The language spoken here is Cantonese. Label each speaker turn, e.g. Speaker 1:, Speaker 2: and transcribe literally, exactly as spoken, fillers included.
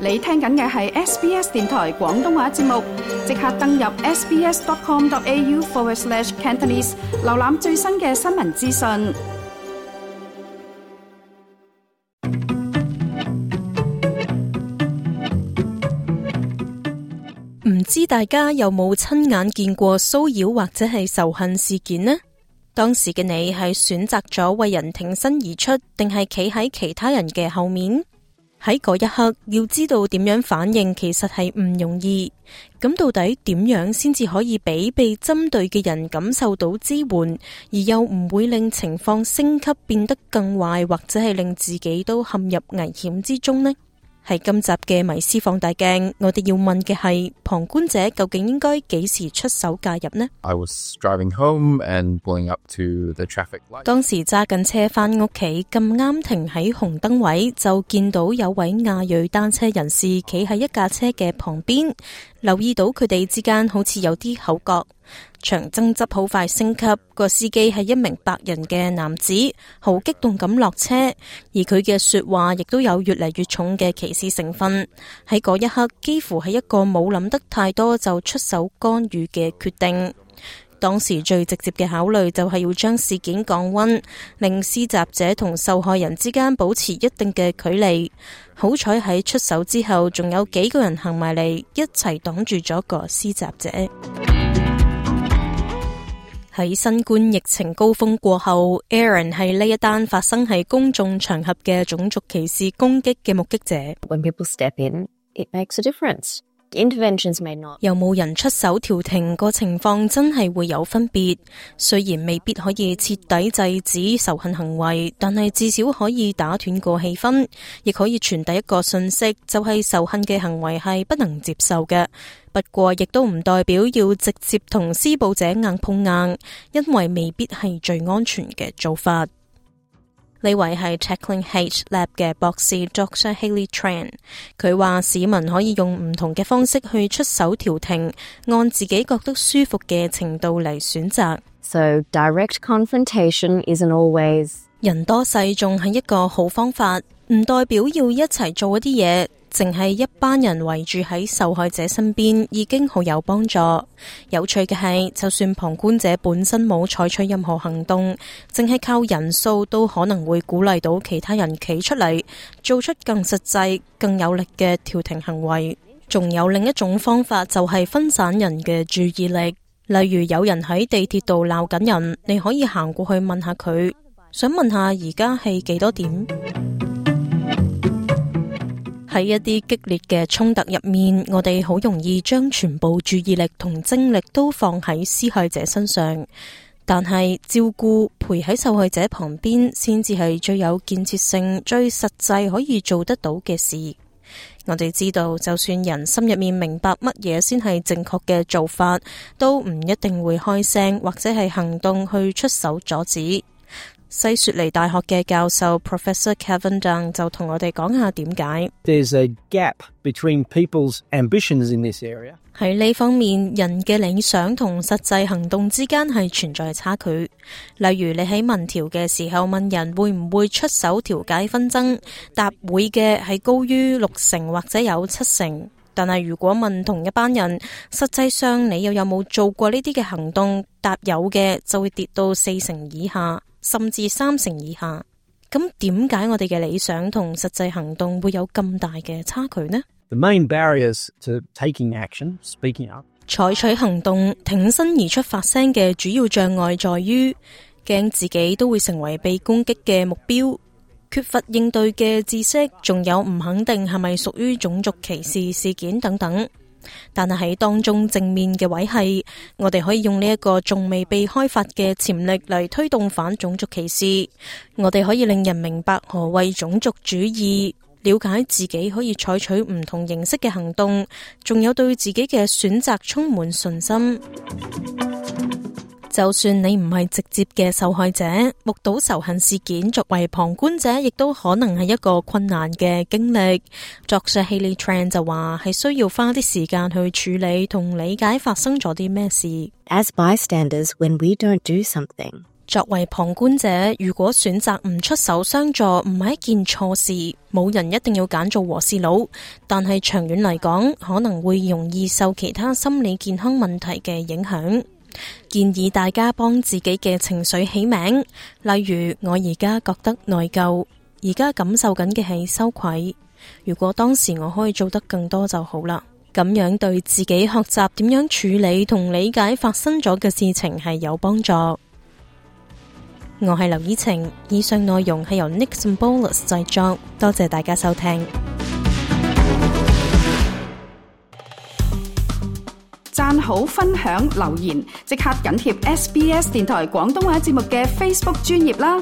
Speaker 1: 你聽緊嘅係 S B S 電台廣東話節目，即刻登入 sbs.com.au forward slash Cantonese， 瀏覽最新嘅新聞資訊。
Speaker 2: 唔知大家有冇親眼見過騷擾或者係仇恨事件呢？當時嘅你係選擇咗為人挺身而出，定係企喺其他人嘅後面？喺嗰一刻，要知道點樣反應，其實係唔容易。咁到底點樣先至可以俾被針對嘅人感受到支援，而又唔會令情況升級變得更壞，或者係令自己都陷入危險之中呢？喺今集嘅迷思放大鏡，我哋要問嘅係旁觀者究竟應該幾時出手介入呢？
Speaker 3: I was driving home and pulling up to the traffic light.
Speaker 2: 當時揸緊車返屋企，咁啱停喺紅燈位，就見到有位亞裔單車人士企喺一架車嘅旁邊，留意到佢哋之間好似有啲口角。場爭執好快升級，個司機係一名白人嘅男子，好激動咁落車，而佢嘅說話亦都有越嚟越重嘅歧視成分。喺嗰一刻，幾乎係一個冇諗得太多就出手干預嘅決定。當時最直接嘅考慮就係要將事件降溫，令施襲者同受害人之間保持一定嘅距離。好彩喺出手之後，仲有幾個人行埋嚟，一齊擋住咗個施襲者。喺新冠疫情高峰過後 Aaron 係呢一單發生喺公眾場合嘅種族歧視攻擊嘅目擊者。
Speaker 4: When people step in, it makes a difference. Interventions may not.
Speaker 2: 有冇人出手調停，個情況真係會有分別。雖然未必可以徹底制止仇恨行為，但係至少可以打斷個氣氛，亦可以傳遞一個訊息，就係仇恨嘅行為係不能接受嘅。不過亦都唔代表要直接同施暴者硬碰硬，因為未必係最安全嘅做法。呢位係 Tackling Hate Lab 嘅博士 Doctor Hayley Tran， 佢話市民可以用唔同嘅方式去出手調停，按自己覺得舒服嘅程度嚟選擇。
Speaker 4: So direct confrontation isn't always.
Speaker 2: 人多勢眾係一個好方法，唔代表要一齊做一啲嘢。淨係一班人圍住喺受害者身邊已經好有幫助。有趣嘅係，就算旁觀者本身冇採取任何行動，淨係靠人數都可能會鼓勵到其他人企出嚟，做出更實際、更有力嘅調停行為。仲有另一種方法，就係分散人嘅注意力。例如有人喺地鐵度鬧緊人，你可以行過去問下佢，想問下而家係幾多點？喺一啲激烈嘅衝突入面，我哋好容易將全部注意力同精力都放喺施害者身上，但係照顧陪喺受害者旁邊先至係最有建設性、最實際可以做得到嘅事。我哋知道，就算人心入面明白乜嘢先係正確嘅做法，都唔一定會開聲或者係行動去出手阻止。西雪梨大學嘅教授 Professor Kevin Dung 就同我哋講下點解。
Speaker 5: There's a gap between people's ambitions in this area.
Speaker 2: 喺呢方面，人嘅理想同實際行動之間係存在差距。例如你喺民調嘅時候問人會唔會出手調解紛爭，答會嘅係高於六成或者有七成。但係如果問同一班人，實際上你又有冇做過呢啲嘅行動，答有嘅就會跌到四成以下，甚至三成以下。咁點解我哋嘅理想同實際行動會有咁大嘅差距呢？
Speaker 5: The main barriers to taking action, speaking up.
Speaker 2: 採取行動、挺身而出發聲嘅主要障礙在於驚自己都會成為被攻擊嘅目標，缺乏應對嘅知識，仲有唔肯定係咪屬於種族歧視事件等等。但係喺當中正面嘅位係，我哋可以用呢一個仲未被開發嘅潛力嚟推動反種族歧視。我哋可以令人明白何謂種族主義，了解自己可以採取唔同形式嘅行動，仲有對自己嘅選擇充滿信心。就算你唔係直接嘅受害者，目睹仇恨事件作為旁觀者，亦都可能係一個困難嘅經歷。作者 Hayley Tran 就話係需要花啲時間去處理同理解發生咗啲咩事。
Speaker 4: As bystanders, when we don't do something,
Speaker 2: 作為旁觀者，如果選擇唔出手相助，唔係一件錯事，冇人一定要揀做和事佬。但係長遠嚟講，可能會容易受其他心理健康問題嘅影響。建議大家幫自己嘅情緒起名，例如我而家覺得內疚，而家感受緊嘅係羞愧。如果當時我可以做得更多就好啦。咁樣對自己學習點樣處理同理解發生咗嘅事情係有幫助。我係劉依晴，以上內容係由 Nick Symbolis 製作，多謝大家收聽。
Speaker 1: 讚好、分享、留言，即刻緊貼 S B S 電台廣東話節目嘅 Facebook 專頁啦！